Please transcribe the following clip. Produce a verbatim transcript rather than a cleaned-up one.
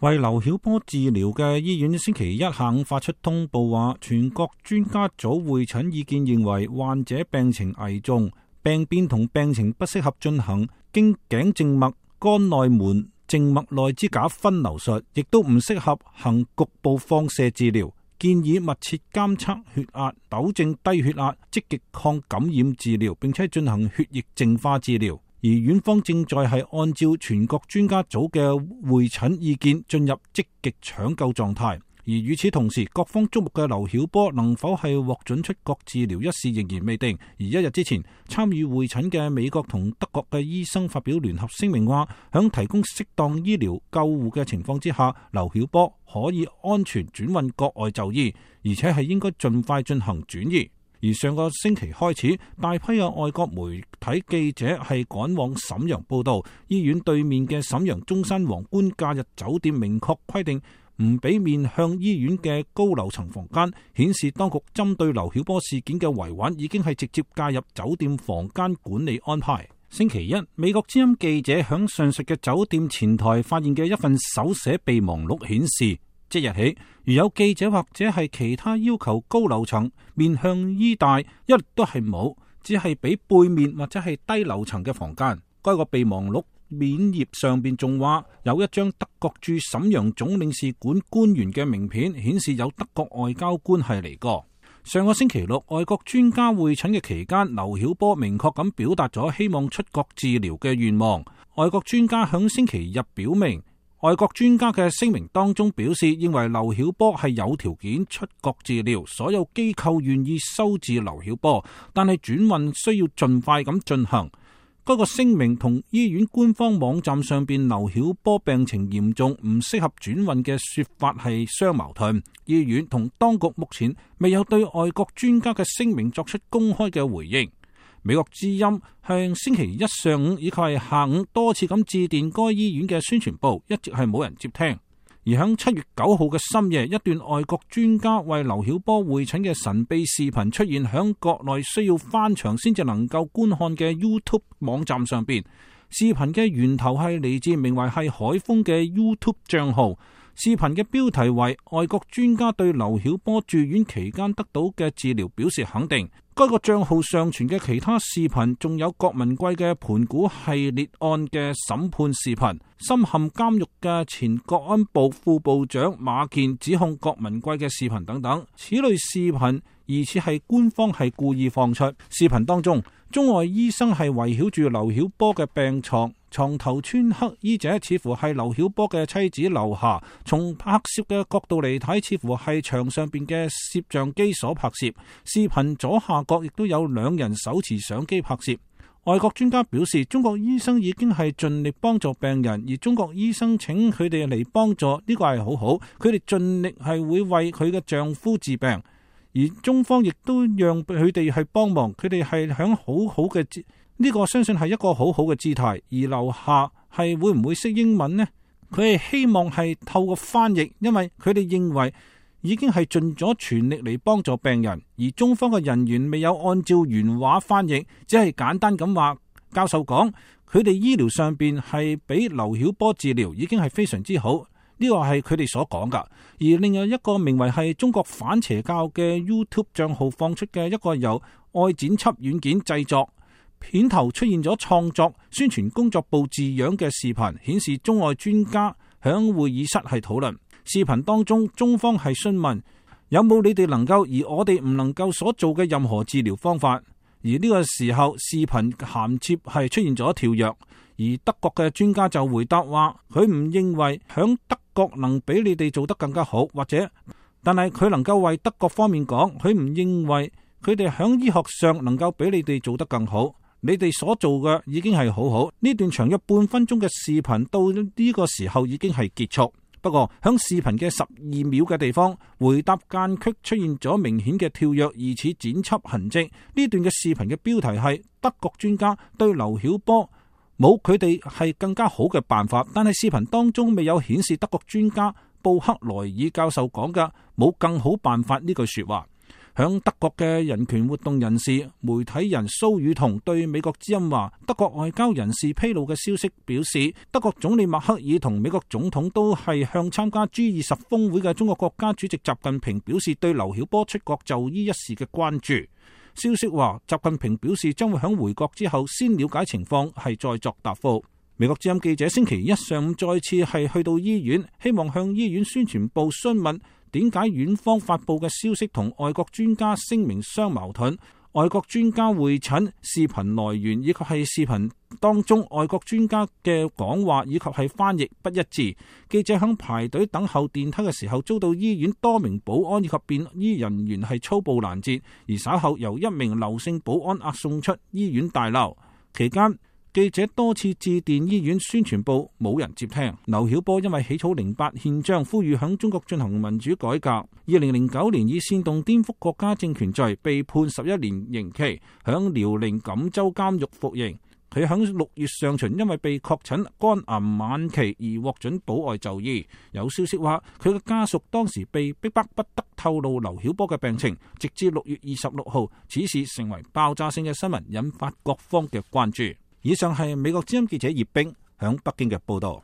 為劉曉波治療嘅醫院星期一下午發出通報話，全國專家組會診意見認為患者病情危重，病變同病情不適合進行經頸靜脈、肝內門靜脈內支架分流術，亦都唔適合行局部放射治療。建議密切監測血壓，糾正低血壓，積極抗感染治療，並且進行血液淨化治療。而院方正在係按照全國專家組嘅會診意見進入積極搶救狀態。而與此同時，各方矚目嘅劉曉波能否係獲准出國治療一事仍然未定。而一日之前，參與會診嘅美國同德國嘅醫生發表聯合聲明話，響提供適當醫療救護嘅情況之下，劉曉波可以安全轉運國外就醫，而且係應該盡快進行轉移。而上個星期開始，大批嘅外國媒體記者係趕往瀋陽報道，醫院對面嘅瀋陽中山皇冠假日酒店明確規定唔俾面向醫院嘅高樓層房間，顯示當局針對劉曉波事件嘅維穩已經係直接介入酒店房間管理安排。星期一，美國之音記者響上述嘅酒店前台發現嘅一份手寫備忘錄顯示，即日起，如有記者或者係其他要求高樓層面向醫大，一律都係冇，只係俾背面或者係低樓層嘅房間。該個備忘錄面頁上邊仲話有一張德國駐瀋陽總領事館官員嘅名片，顯示有德國外交官係嚟過。上個星期六，外國專家會診嘅期間，劉曉波明確咁表達咗希望出國治療嘅願望。外國專家響星期日表明，外國專家嘅聲明當中表示，認為劉曉波係有條件出國治療，所有機構願意收治劉曉波，但係轉運需要盡快咁進行。嗰個聲明同醫院官方網站上邊劉曉波病情嚴重唔適合轉運嘅說法係相矛盾。醫院同當局目前未有對外國專家嘅聲明作出公開嘅回應。美國之音向星期一上午以及係下午多次咁致電該醫院嘅宣傳部，一直係冇人接聽。而響七月九號嘅深夜，一段外國專家為劉曉波會診嘅神秘視頻出現響國內需要翻牆先至能夠觀看嘅 YouTube 網站上邊。視頻嘅源頭係嚟自名為係海峰嘅 YouTube 賬號。視頻嘅標題為外國專家對劉曉波住院期間得到嘅治療表示肯定。該個賬號上傳嘅其他視頻仲有郭文貴嘅盤古系列案嘅審判視頻，深陷監獄嘅前國安部副部長馬建指控郭文貴嘅視頻等等。此類視頻疑似係官方係故意放出。視頻當中，中外醫生係圍繞住劉曉波嘅病床，床頭穿黑衣者似乎係劉曉波嘅妻子劉霞，從拍攝嘅角度嚟睇，似乎係牆上邊嘅攝像機所拍攝。視頻左下角亦都有兩人手持相機拍攝。外國專家表示，中國醫生已經係盡力幫助病人，而中國醫生請佢哋嚟幫助，呢個係好好，佢哋盡力係會為佢嘅丈夫治病，而中方亦都讓佢哋去幫忙，佢哋係響好好嘅，呢個相信係一個好好嘅姿態。而樓下係會唔會識英文呢？佢係希望係透過翻譯，因為佢哋認為已經係盡咗全力嚟幫助病人，而中方嘅人員未有按照原話翻譯，只係簡單咁話。教授講，佢哋醫療上邊係俾劉曉波治療已經係非常之好，呢個係佢哋所講噶。而另外一個名為係中國反邪教嘅 YouTube 賬號放出嘅一個由愛剪輯軟件製作，片頭出現咗創作宣傳工作部字樣嘅視頻，顯示中外專家響會議室係討論。視頻當中，中方係詢問有冇你哋能夠而我哋唔能夠所做嘅任何治療方法。而呢個時候，視頻銜接係出現咗跳躍，而德國嘅專家就回答話，佢唔認為響德國能比你哋做得更加好，或者，但係佢能夠為德國方面講，佢唔認為佢哋響醫學上能夠比你哋做得更好。你哋所做嘅已經係好好。呢段長約半分鐘嘅視頻到呢個時候已經係結束。不過響視頻嘅十二秒嘅地方，回答間隙出現咗明顯嘅跳躍，疑似剪輯痕跡。呢段嘅視頻嘅標題係德國專家對劉曉波冇佢哋係更加好嘅辦法，但係視頻當中未有顯示德國專家布克萊爾教授講嘅冇更好辦法呢句說話。響德國嘅人權活動人士、媒體人蘇宇彤對美國之音話，德國外交人士披露嘅消息表示，德國總理默克爾同美國總統都係向參加 G 二十峰會嘅中國國家主席習近平表示對劉曉波出國就醫一事嘅關注。消息話，習近平表示將會響回國之後先了解情況，係再作答覆。美國之音記者星期一上午再次係去到醫院，希望向醫院宣傳部詢問點解院方發佈嘅消息同外國專家聲明相矛盾，外國專家會診視頻來源以及係視頻當中外國專家嘅講話以及係翻譯不一致。記者響排隊等候電梯嘅時候，遭到醫院多名保安以及便衣人員係粗暴攔截，而稍後由一名劉姓保安押送出醫院大樓。期間記者多次致電醫院宣傳部，冇人接聽。劉曉波因為起草零八憲章，呼籲響中國進行民主改革，二零零九年以煽動顛覆國家政權罪被判十一年刑期，響遼寧錦州監獄服刑。佢響六月上旬因為被確診肝癌晚期而獲准保外就醫。有消息話佢嘅家屬當時被逼迫不得透露劉曉波嘅病情，直至六月二十六號，此事成為爆炸性嘅新聞，引發各方嘅關注。以上係美國之音記者葉冰響北京嘅報道。